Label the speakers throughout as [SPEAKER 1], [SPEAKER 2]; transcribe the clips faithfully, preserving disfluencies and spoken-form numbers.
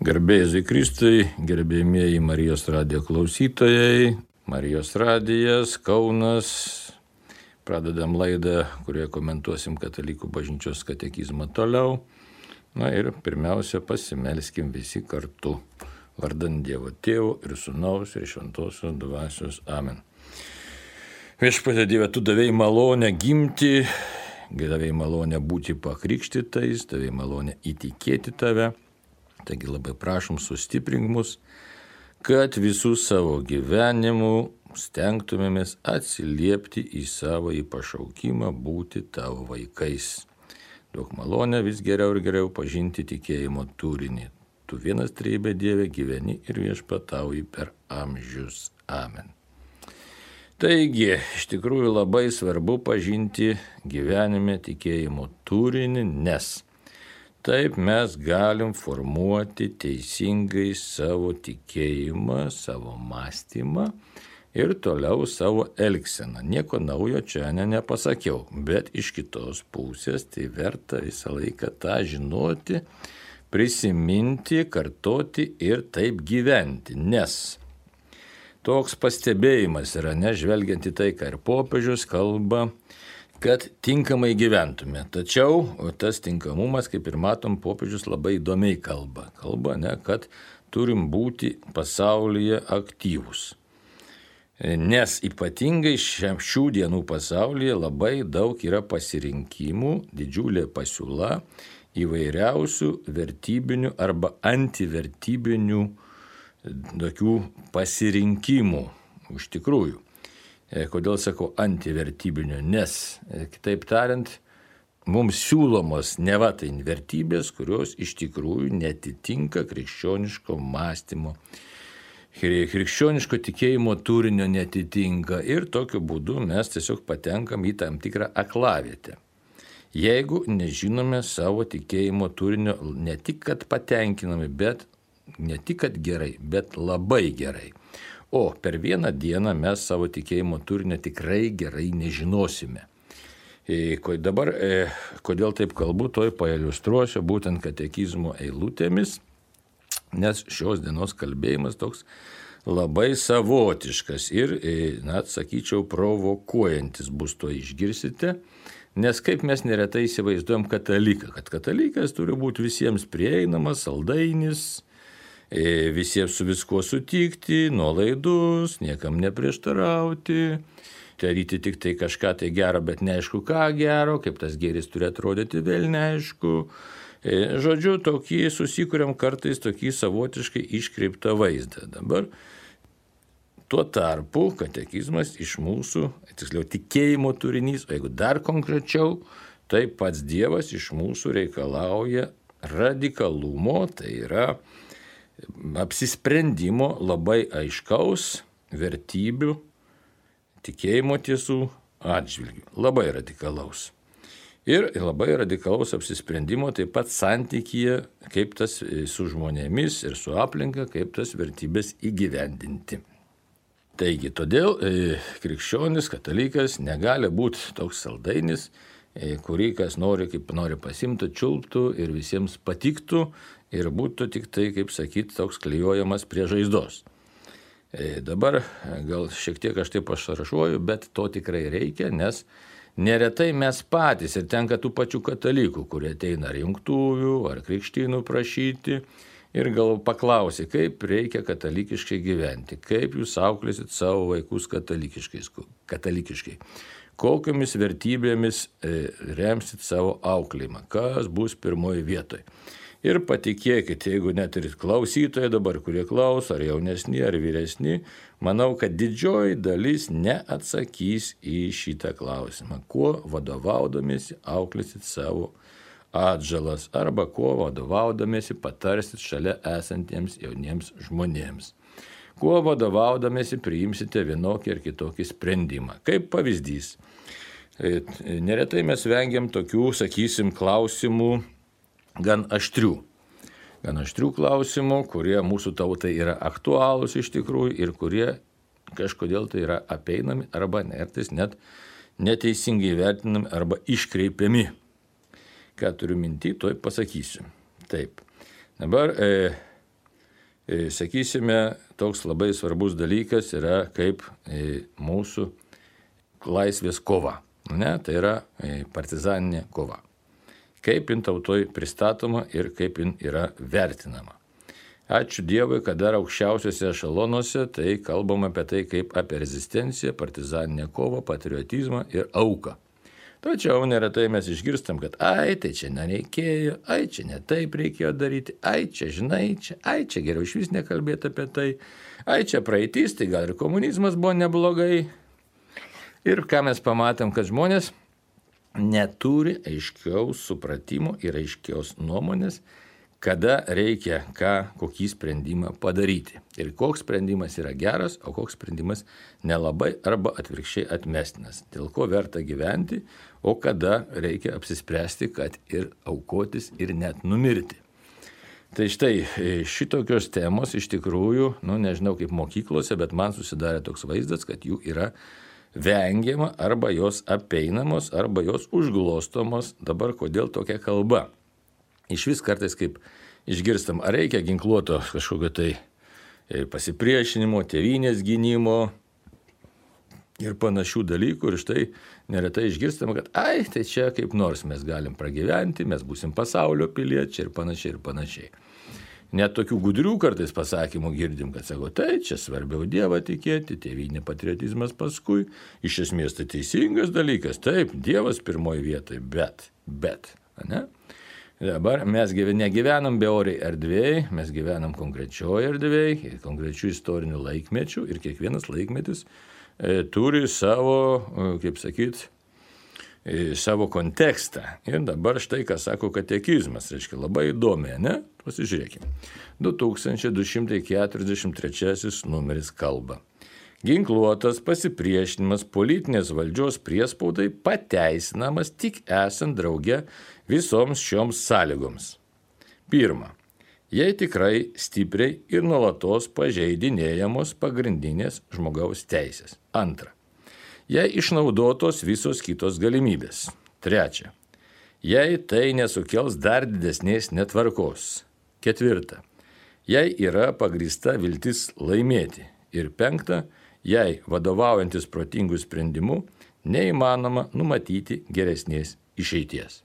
[SPEAKER 1] Garbėjai Kristui, gerbėjimieji Marijos radijo klausytojai, Marijos radijas, Kaunas. Pradedam laidą, kurioje komentuosim Katalikų bažnyčios katekizmą toliau. Na ir pirmiausia, pasimelskim visi kartu. Vardant Dievo Tėvo ir Sūnaus ir Šventosios Dvasios. Amen. Viešpatie Dieve, tu davei malonę gimti, davei malonę būti pakrikštytais, davei malonę įtikėti tave. Taigi labai prašom, sustiprink mus, kad visų savo gyvenimų stengtumėmės atsiliepti į savo į pašaukimą būti tavo vaikais. Duok malonę vis geriau ir geriau pažinti tikėjimo turinį. Tu vienas trejybė Dieve gyveni ir viešpatauji per amžius. Amen. Taigi, iš tikrųjų labai svarbu pažinti gyvenime tikėjimo turinį, nes taip mes galim formuoti teisingai savo tikėjimą, savo mąstymą ir toliau savo elgseną. Nieko naujo čia ne, nepasakiau, bet iš kitos pusės tai verta visą laiką tą žinoti, prisiminti, kartoti ir taip gyventi, nes toks pastebėjimas yra, nežvelgiant į tai, ką ir popiežius kalba, kad tinkamai gyventume. Tačiau tas tinkamumas, kaip ir matom, popiežius labai įdomiai kalba. Kalba, ne, kad turim būti pasaulyje aktyvūs. Nes ypatingai šių dienų pasaulyje labai daug yra pasirinkimų, didžiulė pasiūla įvairiausių vertybinių arba antivertybinių tokių pasirinkimų. Iš tikrųjų. Kodėl sakau antivertybinių? Nes, kitaip tariant, mums siūlomos neva tai vertybės, kurios iš tikrųjų netitinka krikščioniško mąstymo, krikščioniško tikėjimo turinio netitinka ir tokiu būdu mes tiesiog patenkam į tam tikrą aklavietę. Jeigu nežinome savo tikėjimo turinio, ne tik kad patenkinami, bet ne tik kad gerai, bet labai gerai. O per vieną dieną mes savo tikėjimo turinio tikrai gerai nežinosime. E, dabar, e, kodėl taip kalbu, toj pailiustruosiu būtent katekizmo eilutėmis, nes šios dienos kalbėjimas toks labai savotiškas ir, e, na, sakyčiau, provokuojantis bus, to išgirsite, nes kaip mes neretai įsivaizduojam kataliką, kad katalikas turi būti visiems prieinamas, saldainis, visiems su viskuo sutikti, nuolaidus, niekam neprieštarauti, daryti tik tai kažką tai gero, bet neaišku ką gero, kaip tas gėris turi atrodyti, vėl neaišku. Žodžiu, tokį susikuriam kartais tokį savotiškai iškreiptą vaizdą. Dabar tuo tarpu katekizmas iš mūsų, tiksliau tikėjimo turinys, o jeigu dar konkrečiau, tai pats Dievas iš mūsų reikalauja radikalumo, tai yra apsisprendimo labai aiškaus vertybių, tikėjimo tiesų atžvilgių. Labai radikalaus. Ir labai radikalaus apsisprendimo taip pat santykyje, kaip tas su žmonėmis ir su aplinka, kaip tas vertybės įgyvendinti. Taigi, todėl e, krikščionis, katalikas negali būti toks saldainis, e, kurį kas nori, kaip nori pasimtų, čiulptų ir visiems patiktų, ir būtų tik tai, kaip sakyti, toks klijuojamas prie žaizdos. E, dabar gal šiek tiek aš taip pašarašuoju, bet to tikrai reikia, nes neretai mes patys ir tenka tų pačių katalikų, kurie ateina ar jungtuvių, ar krikštynų prašyti ir gal paklausi, kaip reikia katalikiškai gyventi, kaip jūs auklėsit savo vaikus katalikiškai, kokiamis vertybėmis e, remsit savo auklėjimą, kas bus pirmoji vietoje. Ir patikėkit, jeigu net ir klausytojai dabar, kurie klauso, ar jaunesni, ar vyresni, manau, kad didžioji dalis neatsakys į šitą klausimą. Kuo vadovaudamiesi auklėsit savo atžalas, arba kuo vadovaudamiesi patarsit šalia esantiems jauniems žmonėms. Kuo vadovaudamiesi priimsite vienokį ar kitokį sprendimą. Kaip pavyzdys. Neretai mes vengiam tokių, sakysim, klausimų, gan aštrių. Gan aštrių klausimų, kurie mūsų tautai yra aktualūs iš tikrųjų ir kurie kažkodėl tai yra apeinami arba nertais net neteisingai vertinami arba iškreipiami. Ką turiu minty, toj pasakysiu. Taip. Dabar e, sakysime, toks labai svarbus dalykas yra kaip mūsų laisvės kova. Ne? Tai yra partizaninė kova. Kaip jin tautoj pristatoma ir kaip jin yra vertinama. Ačiū Dievui, kad dar aukščiausiuose ešalonuose tai kalbama apie tai kaip apie rezistenciją, partizaninę kovą, patriotizmą ir auką. Tačiau neretai mes išgirstam, kad ai, tai čia nereikėjo, ai, čia ne taip reikėjo daryti, ai, čia žinai, čia, ai, čia geriau iš vis nekalbėti apie tai, ai, čia praeitis, tai gal ir komunizmas buvo neblogai. Ir ką mes pamatėm, kad žmonės neturi aiškiaus supratimo ir aiškiaus nuomonės, kada reikia ką, kokį sprendimą padaryti. Ir koks sprendimas yra geras, o koks sprendimas nelabai arba atvirkščiai atmestinas. Dėl ko verta gyventi, o kada reikia apsispręsti, kad ir aukotis ir net numirti. Tai štai šitokios temos iš tikrųjų, nu nežinau kaip mokyklose, bet man susidarė toks vaizdas, kad jų yra vengiama arba jos apeinamos, arba jos užglostomos. Dabar kodėl tokia kalba? Iš vis kartais kaip išgirstam, ar reikia ginkluoto kažkokio tai pasipriešinimo, tėvynės gynimo ir panašių dalykų. Ir štai neretai išgirstam, kad ai, tai čia kaip nors mes galim pragyventi, mes būsim pasaulio piliečiai ir panašiai ir panašiai. Net tokių gudrių kartais pasakymų girdim, kad sako, tai čia svarbiau Dievą tikėti, tėvynė patriotizmas paskui. Iš esmės tai teisingas dalykas, taip, Dievas pirmoji vietoje, bet, bet, ne? Dabar mes negyvenam beoriai erdvėj, mes gyvenam konkrečioje erdvėj, konkrečių istorinių laikmečių ir kiekvienas laikmetis e, turi savo, kaip sakyt, e, savo kontekstą. Ir dabar štai, ką sako katekizmas, reiškia labai įdomiai, ne? Pasižiūrėkime. du tūkstančiai du šimtai keturiasdešimt trečiasis numeris kalba. Ginkluotas pasipriešinimas politinės valdžios priespaudai pateisinamas tik esant drauge visoms šioms sąlygoms. Pirma, jei tikrai stipriai ir nuolatos pažeidinėjamos pagrindinės žmogaus teisės. Antra, jei išnaudotos visos kitos galimybės. Trečia, jei tai nesukels dar didesnės netvarkos. Ketvirta, jei yra pagrįsta viltis laimėti. Ir penkta, jei vadovaujantis protingų sprendimų neįmanoma numatyti geresnės išeities.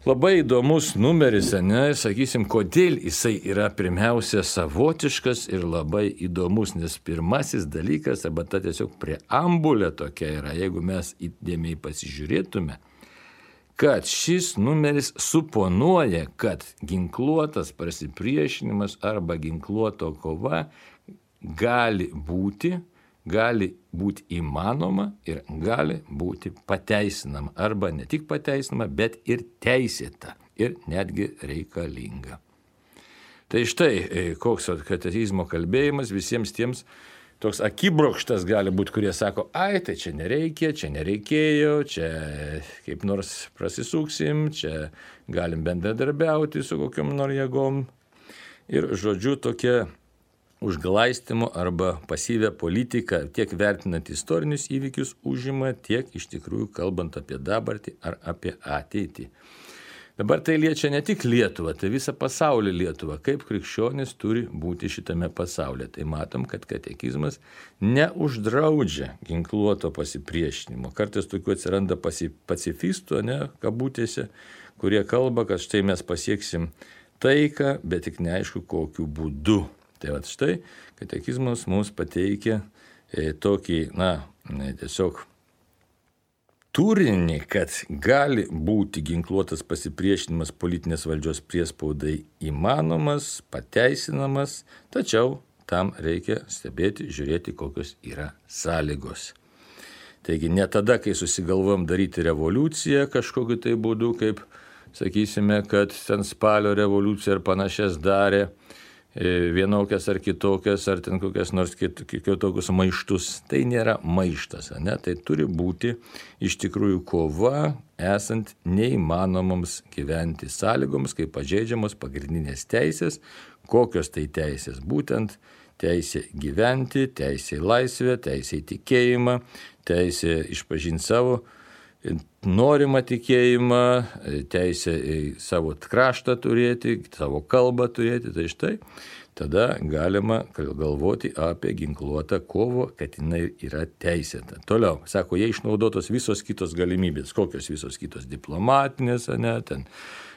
[SPEAKER 1] Labai įdomus numeris, ne, sakysim, kodėl jisai yra pirmiausia savotiškas ir labai įdomus, nes pirmasis dalykas, arba ta tiesiog preambulė tokia yra, jeigu mes įdėmiai pasižiūrėtume, kad šis numeris suponuoja, kad ginkluotas pasipriešinimas arba ginkluoto kova gali būti, gali būti įmanoma ir gali būti pateisinama. Arba ne tik pateisinama, bet ir teisėta ir netgi reikalinga. Tai štai, koks katekizmo kalbėjimas visiems tiems toks akibrokštas gali būti, kurie sako, ai, tai čia nereikia, čia nereikėjo, čia kaip nors prasisuksim, čia galim bendradarbiauti su kokiom nors jėgom. Ir žodžiu tokia užglaistymo arba pasyvę politiką tiek vertinant istorinius įvykius užima, tiek iš tikrųjų kalbant apie dabartį ar apie ateitį. Dabar tai liečia ne tik Lietuvą, tai visą pasaulį Lietuvą, kaip krikščionis turi būti šitame pasaulyje. Tai matom, kad katekizmas neuždraudžia ginkluoto pasipriešinimo. Kartais tokių atsiranda pacifistų, ne, kabutėse, kurie kalba, kad štai mes pasieksim taiką, bet tik neaišku kokiu būdu. Tai va štai katekizmas mums pateikia e, tokį, na, tiesiog turinį, kad gali būti ginkluotas pasipriešinimas politinės valdžios priespaudai įmanomas, pateisinamas, tačiau tam reikia stebėti, žiūrėti, kokios yra sąlygos. Taigi ne tada, kai susigalvojom daryti revoliuciją kažkokiu tai būdu, kaip sakysime, kad ten spalio revoliucija ir panašias darė, vienokias ar kitokias, ar ten kokias nors kitokius maištus. Tai nėra maištas, ne? Tai turi būti iš tikrųjų kova, esant neįmanomoms gyventi sąlygoms, kai pažeidžiamos pagrindinės teisės. Kokios tai teisės? Būtent teisė gyventi, teisė į laisvę, teisė į tikėjimą, teisė išpažinti savo norimą tikėjimą, teisę į savo kraštą turėti, savo kalbą turėti, tai štai tada galima galvoti apie ginkluotą kovą, kad jinai yra teisėta. Toliau, sako, jie išnaudotos visos kitos galimybės, kokios visos kitos diplomatinės, ne, ten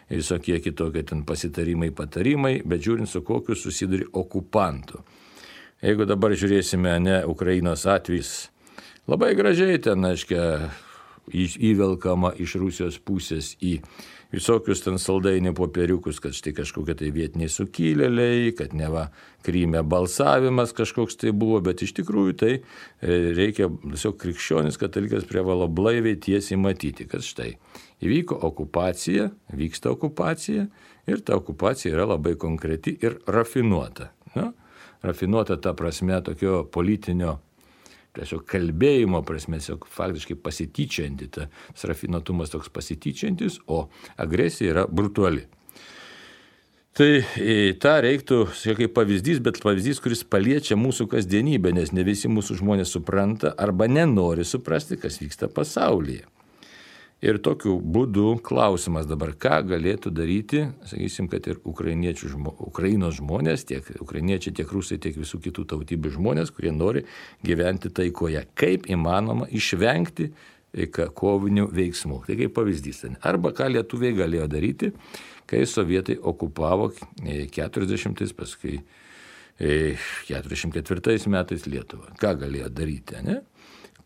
[SPEAKER 1] visokie kitokie ten pasitarimai, patarimai, bet žiūrint su kokiu susiduri okupantu. Jeigu dabar žiūrėsime, ne, Ukrainos atvejs, labai gražiai ten, aiškia, įvelkama iš Rusijos pusės į visokius ten saldainių popieriukus, kad štai kažkokie tai vietiniai sukilėliai, kad neva Kryme balsavimas kažkoks tai buvo, bet iš tikrųjų tai reikia tiesiog krikščionis katalikas privalo blaiviai tiesiai matyti, kad štai įvyko okupacija, vyksta okupacija ir ta okupacija yra labai konkreti ir rafinuota. Na, rafinuota ta prasme tokio politinio tiesiog kalbėjimo prasme, tiesiog faktiškai pasityčianti, tas rafinuotumas toks pasityčiantis, o agresija yra brutali. Tai tą reiktų, kaip pavyzdys, bet pavyzdys, kuris paliečia mūsų kasdienybę, nes ne visi mūsų žmonės supranta arba nenori suprasti, kas vyksta pasaulyje. Ir tokiu būdu klausimas dabar, ką galėtų daryti, sakysim, kad ir ukrainiečių, Ukrainos žmonės, tiek ukrainiečiai, tiek rusai, tiek visų kitų tautybių žmonės, kurie nori gyventi taikoje. Kaip įmanoma išvengti kovinių veiksmų. Tai kaip pavyzdys. Arba ką lietuviai galėjo daryti, kai sovietai okupavo keturiasdešimtais, paskui keturiasdešimt ketvirtais metais Lietuvą. Ką galėjo daryti, ne?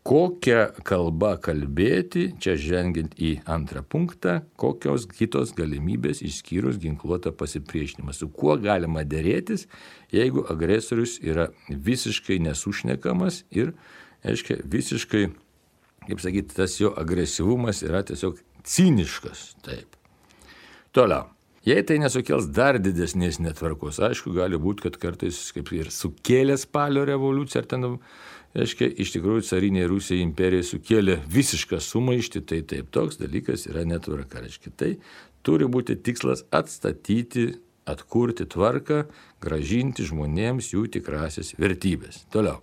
[SPEAKER 1] Kokią kalbą kalbėti, čia žengiant į antrą punktą, kokios kitos galimybės išskyrus ginkluotą pasipriešinimą. Su kuo galima dėrėtis, jeigu agresorius yra visiškai nesušnekamas ir, aiškiai, visiškai, kaip sakyti, tas jo agresyvumas yra tiesiog ciniškas. Taip. Toliau. Jei tai nesukels dar didesnės netvarkos, aišku, gali būti, kad kartais kaip ir sukėlė spalio revoliuciją, ar ten, aiškiai, iš tikrųjų carinė Rusija imperija sukėlė visišką sumaištį, tai taip, toks dalykas yra netvarka. Aiškiai, tai turi būti tikslas atstatyti, atkurti tvarką, gražinti žmonėms jų tikrasias vertybės. Toliau.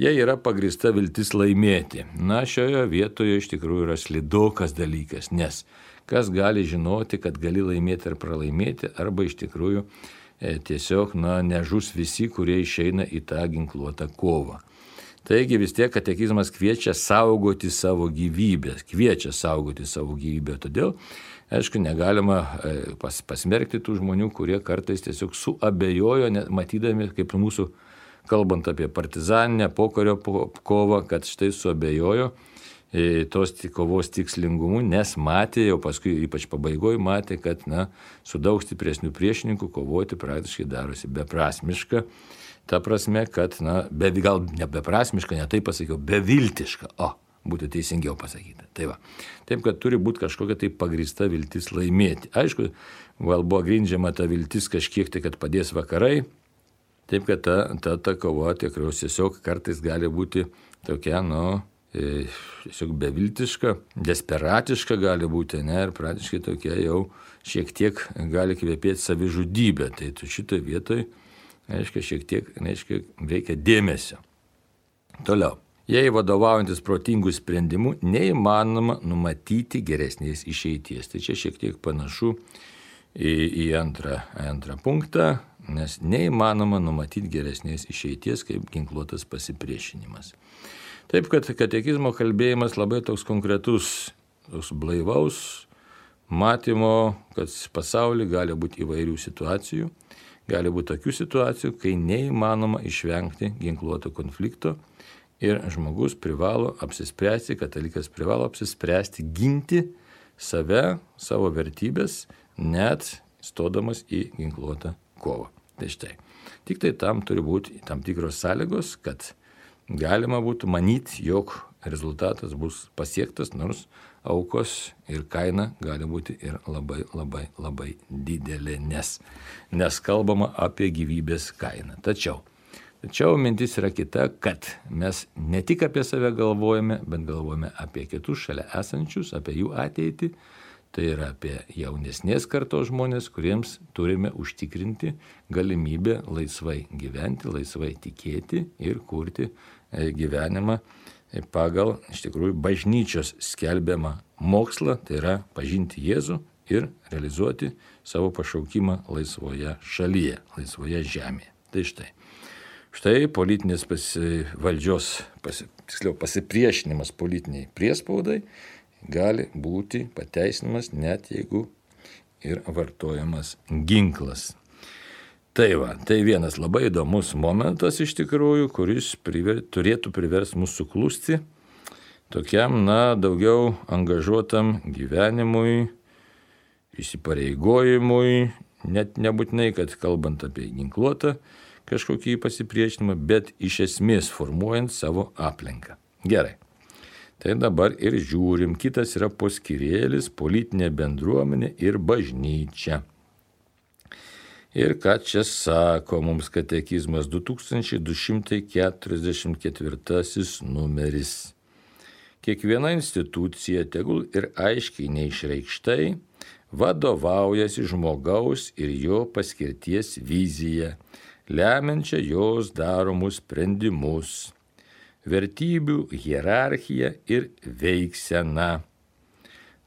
[SPEAKER 1] Jei yra pagrįsta viltis laimėti, na, šioje vietoje iš tikrųjų yra slidokas dalykas, nes kas gali žinoti, kad gali laimėti ar pralaimėti, arba iš tikrųjų e, tiesiog, na, nežus visi, kurie išeina į tą ginkluotą kovą. Taigi vis tiek katekizmas kviečia saugoti savo gyvybę, kviečia saugoti savo gyvybę. Todėl, aišku, negalima pas, pasmerkti tų žmonių, kurie kartais tiesiog suabejojo, matydami, kaip mūsų, kalbant apie partizaninę pokario kovą, kad štai suabejojo tos kovos tikslingumu, nes matė, jau paskui ypač pabaigoje matė, kad, na, su daug stipresnių priešininkų kovoti praktiškai darosi beprasmiška. Ta prasme, kad, na, be, gal ne beprasmiška, ne taip pasakiau, beviltiška, o, būtų teisingiau pasakyta. Tai va. Taip, kad turi būti kažkokia tai pagrįsta viltis laimėti. Aišku, gal buvo grindžiama ta viltis kažkiek tai, kad padės vakarai, taip, kad ta, ta, ta kova tikrai tiesiog kartais gali būti tokia, nu, tiesiog beviltiška, desperatiška gali būti, ne, ir praktiškai tokia jau šiek tiek gali kvepėti savižudybę. Tai tu šitoje vietoje, aiškiai, šiek tiek, aiškiai, reikia dėmesio. Toliau. Jei vadovaujantis protingų sprendimų, neįmanoma numatyti geresnės išeities. Tai čia šiek tiek panašu į, į antrą, antrą punktą, nes neįmanoma numatyti geresnės išeities kaip ginkluotas pasipriešinimas. Taip, kad katekizmo kalbėjimas labai toks konkretus, toks blaivaus matymo, kad pasaulyje gali būti įvairių situacijų, gali būti tokių situacijų, kai neįmanoma išvengti ginkluoto konflikto ir žmogus privalo apsispręsti, katalikas privalo apsispręsti ginti save, savo vertybės, net stodamas į ginkluotą kovą. Tai štai. Tik tai tam turi būti tam tikros sąlygos, kad galima būtų manyti, jog rezultatas bus pasiektas, nors aukos ir kaina gali būti ir labai, labai, labai didelė, nes, nes kalbama apie gyvybės kainą. Tačiau, tačiau mintis yra kita, kad mes ne tik apie save galvojame, bet galvojame apie kitus šalia esančius, apie jų ateitį. Tai yra apie jaunesnės kartos žmonės, kuriems turime užtikrinti galimybę laisvai gyventi, laisvai tikėti ir kurti gyvenimą pagal iš tikrųjų bažnyčios skelbiamą mokslą, tai yra pažinti Jėzų ir realizuoti savo pašaukimą laisvoje šalyje, laisvoje žemėje. Tai štai. Štai politinės pasi, valdžios, pasi, tiksliau pasipriešinimas politiniai priespaudai gali būti pateisinamas net jeigu ir vartojamas ginklas. Tai va, tai vienas labai įdomus momentas iš tikrųjų, kuris priver, turėtų priversti mūsų suklusti tokiam, na, daugiau angažuotam gyvenimui, įsipareigojimui, net nebūtinai, kad kalbant apie ginkluotą kažkokį pasipriešinimą, bet iš esmės formuojant savo aplinką. Gerai. Tai dabar ir žiūrim, kitas yra poskyrėlis, politinė bendruomenė ir bažnyčia. Ir ką čia sako mums katekizmas du tūkstančiai du šimtai keturiasdešimt ketvirtasis numeris. Kiekviena institucija, tegul ir aiškiai neišreikštai, vadovaujasi žmogaus ir jo paskirties vizija, lemiančia jos daromus sprendimus, vertybių hierarchija ir veiksena.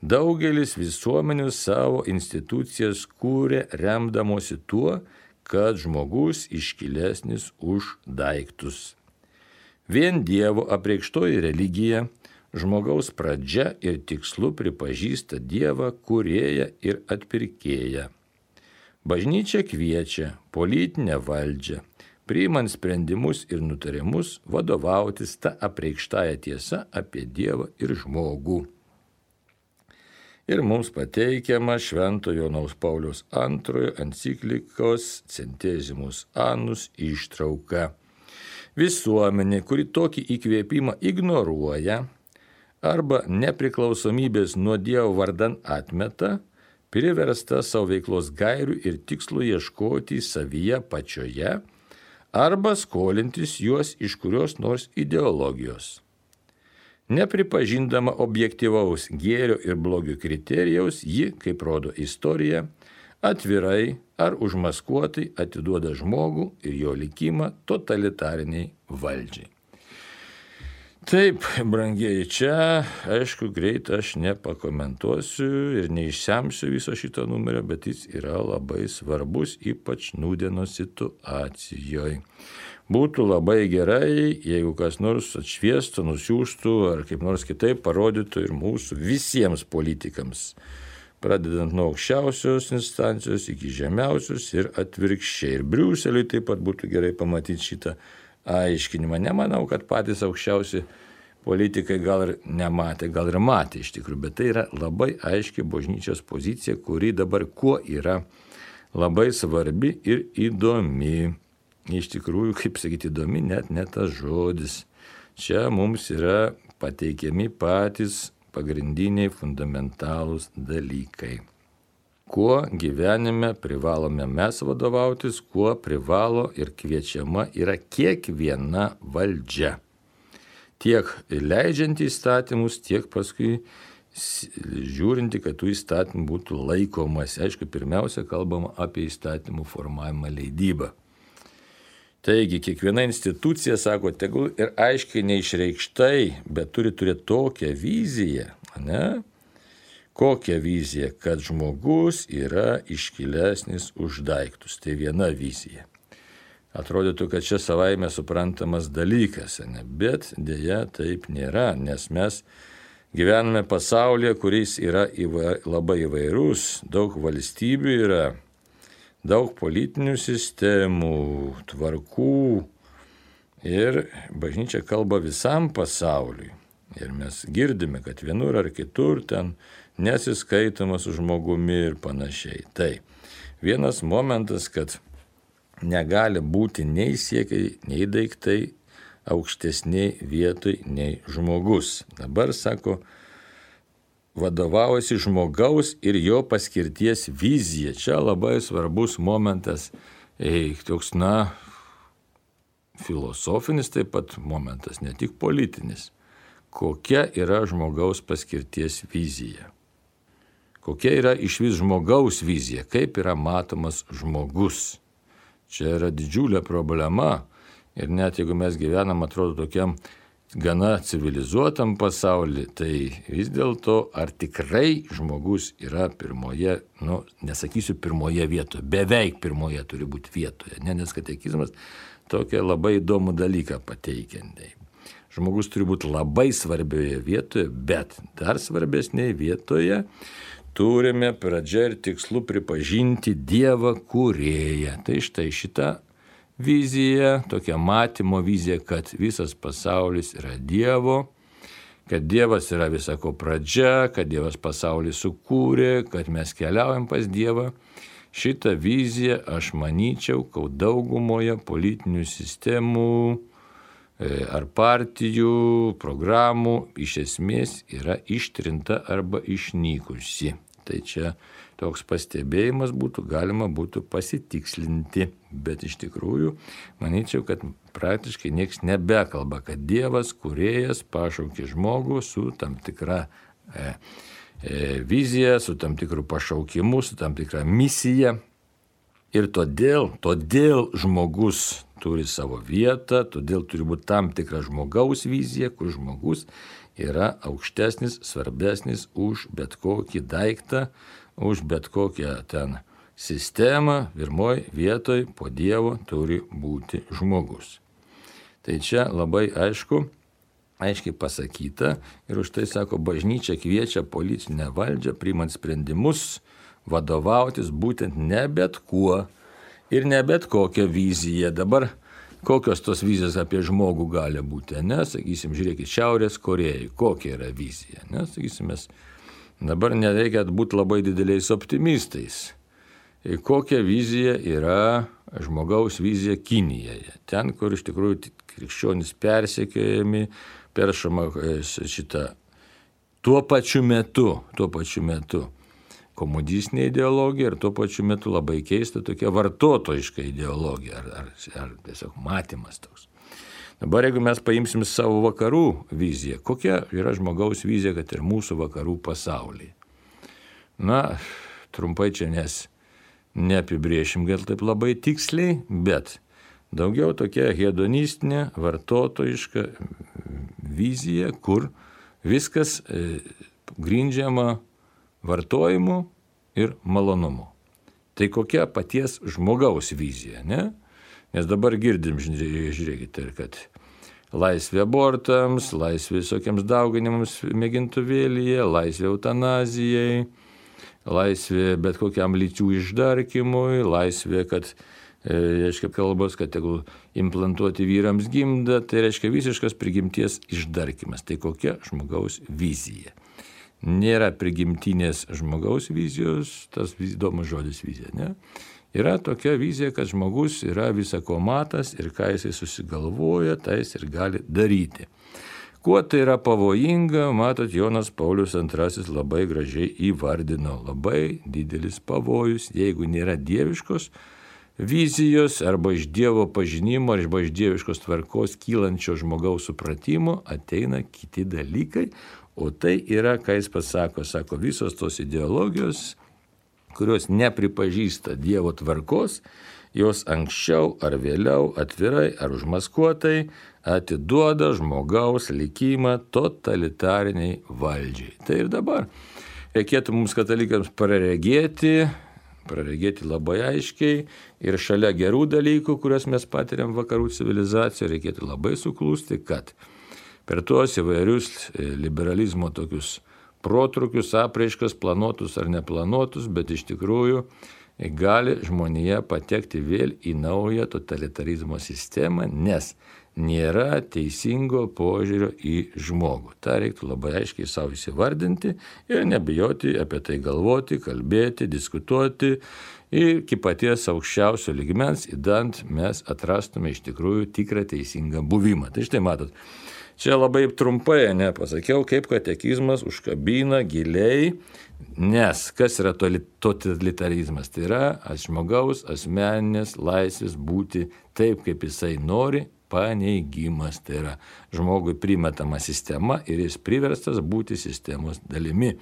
[SPEAKER 1] Daugelis visuomenių savo institucijas kūrė remdamosi tuo, kad žmogus iškilesnis už daiktus. Vien Dievo apreikštoji religija žmogaus pradžia ir tikslu pripažįsta Dievą kūrėją ir atpirkėją. Bažnyčia kviečia politinę valdžią, priimant sprendimus ir nutarimus, vadovautis ta apreikštąja tiesa apie Dievą ir žmogų. Ir mums pateikiama Šventojo Jono Pauliaus antrojo enciklikos Centesimus Annus ištrauka. Visuomenė, kuri tokį įkvėpimą ignoruoja arba nepriklausomybės nuo Dievo vardan atmeta, priversta savo veiklos gairių ir tikslų ieškoti savyje pačioje arba skolintis juos iš kurios nors ideologijos. Nepripažindama objektyvaus gėrio ir blogio kriterijaus, ji, kaip rodo istorija, atvirai ar užmaskuotai atiduoda žmogų ir jo likimą totalitariniai valdžiai. Taip, brangieji, čia, aišku, greit aš nepakomentuosiu ir neišsemsiu viso šito numerio, bet jis yra labai svarbus, ypač nūdienos situacijoje. Būtų labai gerai, jeigu kas nors atšviestų, nusiųstų ar kaip nors kitaip parodytų ir mūsų visiems politikams, pradedant nuo aukščiausios instancijos iki žemiausios ir atvirkščiai. Ir Briuseliui taip pat būtų gerai pamatyti šitą aiškinimą. Nemanau, kad patys aukščiausi politikai gal ir nematė, gal ir matė iš tikrųjų, bet tai yra labai aiški bažnyčios pozicija, kuri dabar kuo yra labai svarbi ir įdomi. Iš tikrųjų, kaip sakyti, įdomi net ne tas žodis. Čia mums yra pateikiami patys pagrindiniai fundamentalūs dalykai. Kuo gyvenime privalome mes vadovautis, kuo privalo ir kviečiama yra kiekviena valdžia. Tiek leidžiant įstatymus, tiek paskui žiūrinti, kad tų įstatymų būtų laikomas. Aišku, pirmiausia, kalbama apie įstatymų formavimą leidybą. Taigi, kiekviena institucija, sako, tegul ir aiškiai neišreikštai, bet turi turėti tokią viziją, ne? Kokią viziją, kad žmogus yra iškilesnis už daiktus. Tai viena vizija. Atrodytų, kad čia savaime suprantamas dalykas, ne? Bet dėja taip nėra, nes mes gyvename pasaulyje, kuris yra įva, labai įvairus, daug valstybių yra, daug politinių sistemų, tvarkų ir bažnyčia kalba visam pasauliui. Ir mes girdime, kad vienur ar kitur ten nesiskaitoma su žmogumi ir panašiai. Tai vienas momentas, kad negali būti nei siekiai, nei daiktai aukštesniai vietoj nei žmogus. Dabar sako, vadovaujasi žmogaus ir jo paskirties vizija. Čia labai svarbus momentas, ei, toks, na, filosofinis taip pat momentas, ne tik politinis. Kokia yra žmogaus paskirties vizija? Kokia yra iš vis žmogaus vizija? Kaip yra matomas žmogus? Čia yra didžiulė problema ir net jeigu mes gyvenam, atrodo, tokiam gana civilizuotam pasaulyje, tai vis dėlto ar tikrai žmogus yra pirmoje, nu, nesakysiu pirmoje vietoje, beveik pirmoje turi būti vietoje, ne, nes katekizmas tokią labai įdomų dalyką pateikiantai. Žmogus turi būti labai svarbioje vietoje, bet dar svarbesnėje vietoje turime pradžia ir tikslu pripažinti Dievą kūrėją. Tai štai šita vizija, tokia matymo vizija, kad visas pasaulis yra Dievo, kad Dievas yra visako pradžia, kad Dievas pasaulį sukūrė, kad mes keliaujam pas Dievą. Šitą viziją aš manyčiau, kad daugumoje politinių sistemų ar partijų, programų iš esmės yra ištrinta arba išnykusi. Tai čia toks pastebėjimas būtų, galima būtų pasitikslinti, bet iš tikrųjų manyčiau, kad praktiškai nieks nebekalba, kad Dievas, kūrėjas, pašaukė žmogų su tam tikra e, e, vizija, su tam tikru pašaukimu, su tam tikra misija. Ir todėl, todėl žmogus turi savo vietą, todėl turi būti tam tikra žmogaus vizija, kur žmogus yra aukštesnis, svarbesnis už bet kokį daiktą, už bet kokią ten sistemą. Pirmoj vietoj po Dievo turi būti žmogus. Tai čia labai aišku, aiškiai pasakyta ir už tai, sako, bažnyčia kviečia politinę valdžią, priimant sprendimus, vadovautis būtent ne bet kuo ir ne bet kokią viziją. Dabar kokios tos vizijos apie žmogų gali būti, ne? Sakysim, žiūrėkit, Šiaurės Korėjai, kokia yra vizija, ne? Sakysim, mes dabar nereikia būti labai dideliais optimistais. Kokia vizija yra žmogaus vizija Kinijoje? Ten, kur iš tikrųjų krikščionys persekiojami, peršama šitą tuo pačiu metu, tuo pačiu metu. Komunistinė ideologija ir tuo pačiu metu labai keista tokia vartotojiška ideologija ar, ar, ar tiesiog matymas toks. Dabar jeigu mes paimsim savo vakarų viziją, kokia yra žmogaus vizija, kad ir mūsų vakarų pasaulyje? Na, trumpai čia nes neapibrėšim gal taip labai tiksliai, bet daugiau tokia hedonistinė, vartotojiška vizija, kur viskas e, grindžiama vartojimu ir malonumu. Tai kokia paties žmogaus vizija, ne? Nes dabar girdim, žiūrėkite, kad laisvė abortams, laisvė visokiams dauginimams mėgintuvėlyje, laisvė eutanazijai, laisvė bet kokiam lyčių išdarkimui, laisvė, kad, e, reiškia, kalbos, kad tegul implantuoti vyrams gimdą, tai reiškia visiškas prigimties išdarkimas. Tai kokia žmogaus vizija? Nėra prigimtinės žmogaus vizijos, tas įdomus žodis vizija, ne? Yra tokia vizija, kad žmogus yra visako matas ir ką jisai susigalvoja, tai jis ir gali daryti. Kuo tai yra pavojinga, matot, Jonas Paulius antrasis labai gražiai įvardino. Labai didelis pavojus, jeigu nėra dieviškos vizijos arba iš Dievo pažinimo arba iš dieviškos tvarkos kylančio žmogaus supratimo ateina kiti dalykai. O tai yra, ką jis pasako, sako, visos tos ideologijos, kurios nepripažįsta Dievo tvarkos, jos anksčiau ar vėliau, atvirai ar užmaskuotai, atiduoda žmogaus likimą totalitariniai valdžiai. Tai ir dabar reikėtų mums katalikams praregėti, praregėti labai aiškiai ir šalia gerų dalykų, kuriuos mes patiriam vakarų civilizacijoje, reikėtų labai suklūsti, kad per tuos įvairius liberalizmo tokius protrukius, apraiškas, planuotus ar neplanuotus, bet iš tikrųjų gali žmonija patekti vėl į naują totalitarizmo sistemą, nes nėra teisingo požiūrio į žmogų. Ta reiktų labai aiškiai savo įsivardinti ir nebijoti apie tai galvoti, kalbėti, diskutuoti. Ir iki paties aukščiausio lygmens, įdant mes atrastume iš tikrųjų tikrą teisingą buvimą. Tai štai matot, čia labai trumpai nepasakiau, kaip katekizmas užkabina giliai, nes kas yra totalitarizmas? Tai yra žmogaus asmeninės laisvės būti taip, kaip jisai nori, paneigimas. Tai yra žmogui primetama sistema ir jis priverstas būti sistemos dalimi.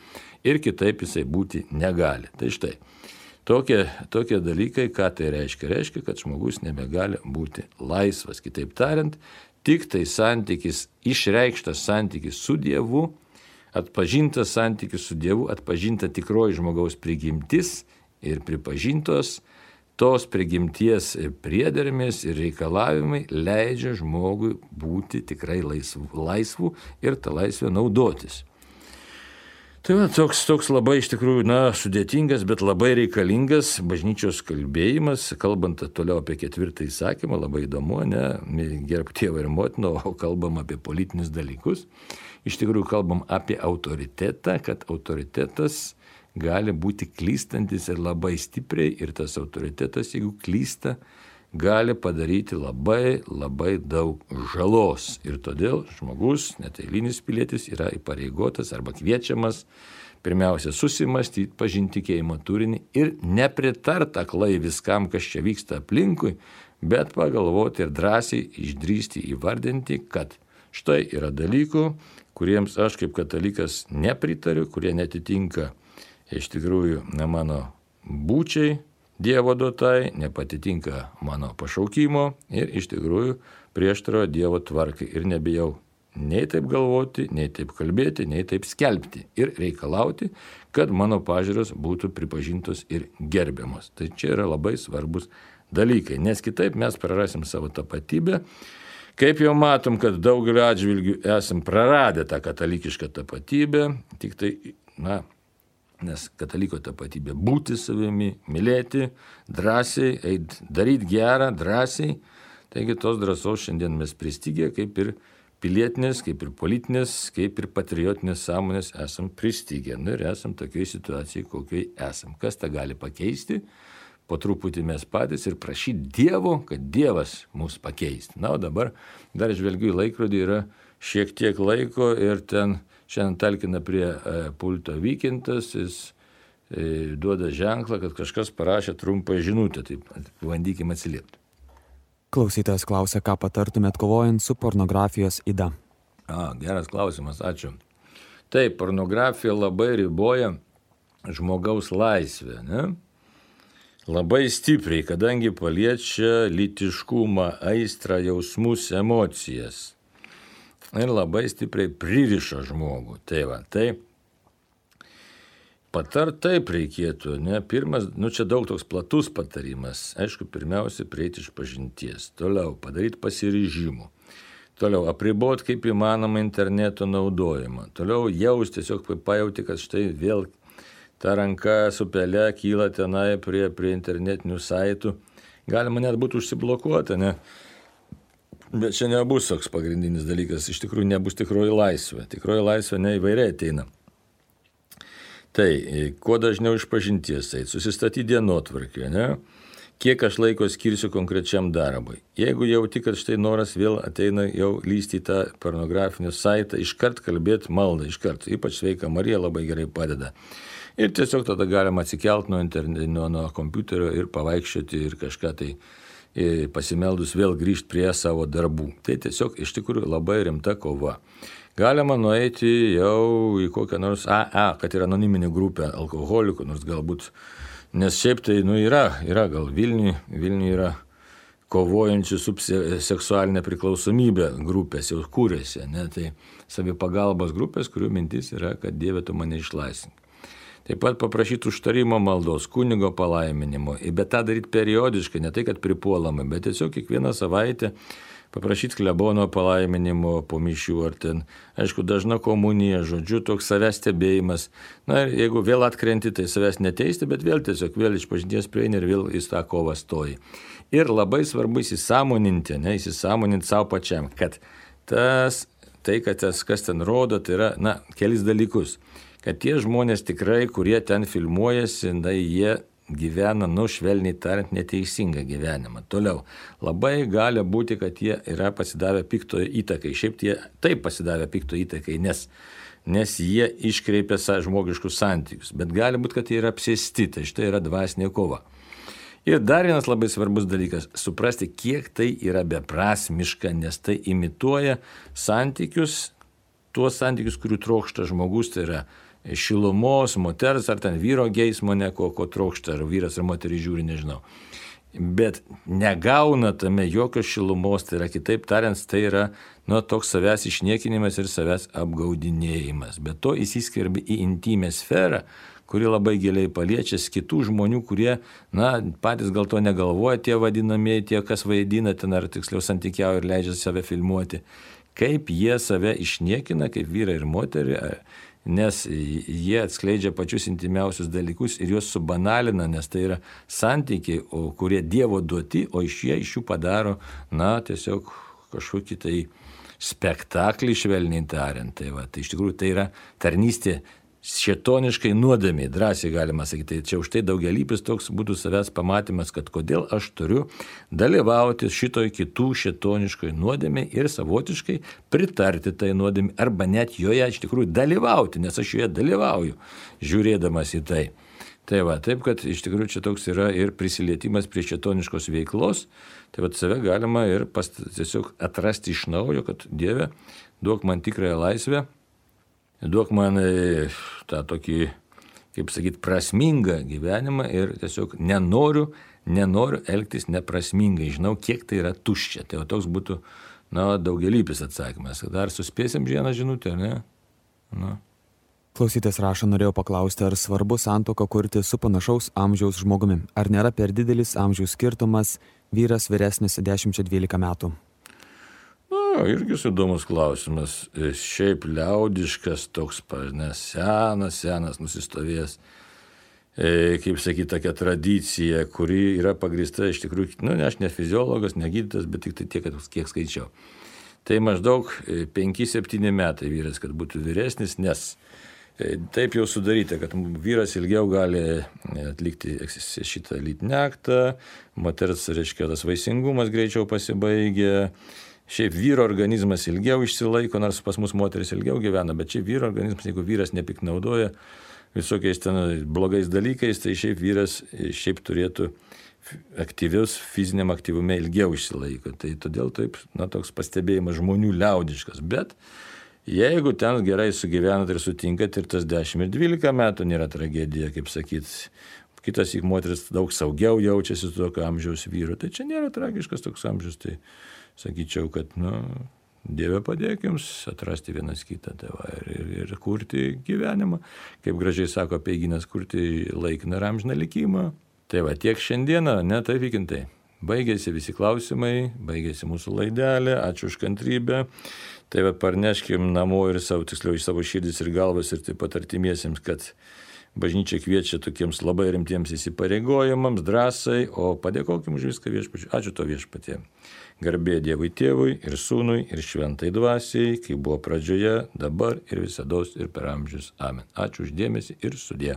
[SPEAKER 1] Ir kitaip jisai būti negali. Tai štai. Tokie, tokie dalykai, ką tai reiškia? Reiškia, kad žmogus nebegali būti laisvas. Kitaip tariant, tik tai santykis, išreikštas santykis su Dievu, atpažintas santykis su Dievu, atpažinta tikroji žmogaus prigimtis ir pripažintos tos prigimties priedermės ir reikalavimai leidžia žmogui būti tikrai laisvu, laisvu ir tą laisvę naudotis. Tai va, toks, toks labai iš tikrųjų, na, sudėtingas, bet labai reikalingas bažnyčios kalbėjimas, kalbant toliau apie ketvirtą įsakymą, labai įdomu, ne, gerbk tėvą ir motiną, o kalbam apie politinius dalykus. Iš tikrųjų kalbam apie autoritetą, kad autoritetas gali būti klystantis ir labai stipriai, ir tas autoritetas, jeigu klysta, gali padaryti labai, labai daug žalos. Ir todėl žmogus, net eilinis pilietis, yra įpareigotas arba kviečiamas pirmiausia susimastyti, pažinti tikėjimo turinį ir nepritart aklai viskam, kas čia vyksta aplinkui, bet pagalvoti ir drąsiai išdrįsti įvardinti, kad štai yra dalykų, kuriems aš kaip katalikas nepritariu, kurie netitinka iš tikrųjų ne mano būčiai, Dievo duotai, nepatitinka mano pašaukimo ir iš tikrųjų prieštarauja Dievo tvarkai ir nebijau nei taip galvoti, nei taip kalbėti, nei taip skelbti ir reikalauti, kad mano pažiūros būtų pripažintos ir gerbiamos. Tai čia yra labai svarbus dalykai, nes kitaip mes prarasim savo tapatybę. Kaip jau matom, kad daugeliu atžvilgių esam praradę tą katalikišką tapatybę, tik tai, na, nes kataliko tapatybė būti savimi, mylėti, drąsiai, eit, daryti gerą, drąsiai. Taigi tos drąsos šiandien mes pristigę, kaip ir pilietinės, kaip ir politinės, kaip ir patriotinės sąmonės esam pristigę. Na ir esam tokioj situacijai, kokioj esam. Kas tą gali pakeisti? Po truputį mes patys ir prašyti Dievo, kad Dievas mus pakeistų. Na, o dabar dar žvelgiu į laikrodį, yra šiek tiek laiko ir ten šiandien talkina prie e, pulto Vykintas, jis e, duoda ženklą, kad kažkas parašė trumpą žinutę, tai bandykime atsiliepti.
[SPEAKER 2] Klausytojas klausia, ką patartumėt kovojant su pornografijos yda.
[SPEAKER 1] A, geras klausimas, ačiū. Taip, pornografija labai riboja žmogaus laisvę, ne? Labai stipriai, kadangi paliečia lytiškumą, aistrą, jausmus, emocijas. Ir labai stipriai pririša žmogų. Tai va, tai patart taip reikėtų, ne? Pirmas, nu čia daug toks platus patarimas. Aišku, pirmiausia, prieiti iš pažinties. Toliau, padaryti pasiryžimų. Toliau, apriboti kaip įmanoma interneto naudojimą. Toliau, jaus tiesiog pajauti, kad štai vėl ta ranka su pele kyla tenai prie, prie internetinių saitų. Galima net būtų užsiblokuota, ne? Bet čia nebus toks pagrindinis dalykas, iš tikrųjų nebus tikroji laisvė. Tikroji laisvė neįvairiai ateina. Tai, kuo dažniau iš pažinties eiti, susistatyti dienotvarkę, ne? Kiek aš laiko skirsiu konkrečiam darbui. Jeigu jauti, kad štai noras vėl ateina jau lysti į tą pornografinį saitą, iškart kalbėti maldą, iškart. Ypač Sveika Marija labai gerai padeda. Ir tiesiog tada galima atsikelti nuo, nuo, nuo kompiuterio ir pavaikščioti ir kažką tai pasimeldus vėl grįžti prie savo darbų. Tai tiesiog iš tikrųjų labai rimta kova. Galima nueiti jau į kokią nors A A, kad yra anoniminė grupė alkoholikų, nors galbūt, nes šiaip tai nu, yra, yra gal Vilniuje, Vilniuje yra kovojančių su seksualinė priklausomybė grupės, jau kūrėsi, ne? Tai savipagalbos grupės, kurių mintis yra, kad Dieve tu mane išlaisvink. Taip pat paprašyti užtarimo maldos, kunigo palaiminimo, bet tą daryti periodiškai, ne tai, kad pripuolamai, bet tiesiog kiekvieną savaitę paprašyti klebono palaiminimo po mišių ar ten, aišku, dažna komunija, žodžiu, toks savęs stebėjimas. Na ir jeigu vėl atkrenti, tai savęs neteisti, bet vėl tiesiog vėl iš pažinties prieini ir vėl į tą kovą stoji. Ir labai svarbu įsisąmoninti, ne, įsisąmoninti savo pačiam, kad tas, tai, kad tas, kas ten rodo, tai yra, na, kelis dalykus. Kad tie žmonės tikrai, kurie ten filmuojasi, na, jie gyvena, nu, švelniai tariant, neteisingą gyvenimą. Toliau, labai gali būti, kad jie yra pasidavę piktojo įtakai. Šiaip tie taip pasidavę piktojo įtakai, nes, nes jie iškreipia žmogiškus santykius. Bet gali būti, kad jie yra apsėsti, tai štai yra dvasinė kova. Ir dar vienas labai svarbus dalykas – suprasti, kiek tai yra beprasmiška, nes tai imituoja santykius, tuos santykius, kurių trokšta žmogus, tai yra šilumos, moters ar ten vyro geismo, ne ko, ko trokšta, ar vyras ar moteris žiūri, nežinau. bet negauna tame jokios šilumos, tai yra kitaip tariant, tai yra nu, toks savęs išniekinimas ir savęs apgaudinėjimas. Bet to įsiskverbia į intimę sferą, kuri labai giliai paliečia kitų žmonių, kurie, na, patys gal to negalvoja, tie vadinamieji, tie, kas vaidina ten, ar tiksliau santykiauja ir leidžia save filmuoti, kaip jie save išniekina, kaip vyrai ir moterį, nes jie atskleidžia pačius intimiausius dalykus ir juos subanalina, nes tai yra santykiai, o kurie Dievo duoti, o iš jie iš jų padaro, na, tiesiog kažkokį tai spektaklį, švelniai tariant. Tai, va, tai iš tikrųjų tai yra tarnystė šėtoniškai nuodėmė, drąsiai galima sakyti. Tai čia už tai daugialypis toks būtų savęs pamatymas, kad kodėl aš turiu dalyvauti šitoj kitų šėtoniškoj nuodėmė ir savotiškai pritarti tai nuodėmė, arba net joje iš tikrųjų dalyvauti, nes aš joje dalyvauju, žiūrėdamas į tai. Tai va, taip, kad iš tikrųjų čia toks yra ir prisilietimas prie šėtoniškos veiklos, tai va, save galima ir pas, tiesiog atrasti iš naujo, kad Dieve, duok man tikrąją laisvę, duok man tą tokį, kaip sakyti, prasmingą gyvenimą ir tiesiog nenoriu, nenoriu elgtis neprasmingai. Žinau, kiek tai yra tuščia. Tai toks būtų, na, daugialypis atsakymas. Dar suspėsim vieną žinutę, ne? Na.
[SPEAKER 2] Klausytis rašo, norėjau paklausti, ar svarbu santuoką kurti su panašaus amžiaus žmogumi. Ar nėra per didelis amžiaus skirtumas, vyras vyresnis dešimt dvylika metų?
[SPEAKER 1] Na, irgi įdomus klausimas. Šiaip liaudiškas toks, nes senas, senas nusistovėjęs, e, kaip sakyti, tokia tradicija, kuri yra pagrįsta iš tikrųjų, nu, ne aš ne fiziologas, ne gydytojas, bet tik tai tiek, kiek skaičiau. Tai maždaug penki septyni metai vyras, kad būtų vyresnis, nes taip jau sudaryta, kad vyras ilgiau gali atlikti šitą lytinį aktą, moters, reiškia, tas vaisingumas greičiau pasibaigia. Šiaip vyro organizmas ilgiau išsilaiko, nors pas mus moteris ilgiau gyvena, bet šiaip vyro organizmas, jeigu vyras nepiknaudoja visokiais ten blogais dalykais, tai šiaip vyras šiaip turėtų aktyvius fiziniam aktyvume ilgiau išsilaiko. Tai todėl taip, na, toks pastebėjimas žmonių liaudiškas. Bet jeigu ten gerai sugyvenat ir sutinkat ir tas dešimt ir dvylika metų nėra tragedija, kaip sakyt, kitas įk moteris daug saugiau jaučiasi su tokio amžiaus vyru, tai čia nėra tragiškas toks amžius, tai sakyčiau, kad, nu, Dieve padėk jums atrasti vienas kitą, tai va, ir, ir, ir kurti gyvenimą, kaip gražiai sako Apeigynas, kurti laikiną ir amžiną likimą. Tai va, tiek šiandieną, ne, taip vykintai. Baigėsi visi klausimai, baigėsi mūsų laidelė, ačiū už kantrybę. Tai va, parneškim namo ir savo, tiksliau, iš savo širdis ir galvas ir taip pat artimiesiems, kad bažnyčia kviečia tokiems labai rimtiems įsipareigojimams, drąsai, o padėkokim už viską viešpačiui. Ačiū to viešpatie. Garbė Dievui Tėvui ir Sūnui ir Šventai Dvasiai, kaip buvo pradžioje, dabar ir visados ir per amžius. Amen. Ačiū už dėmesį ir sudie.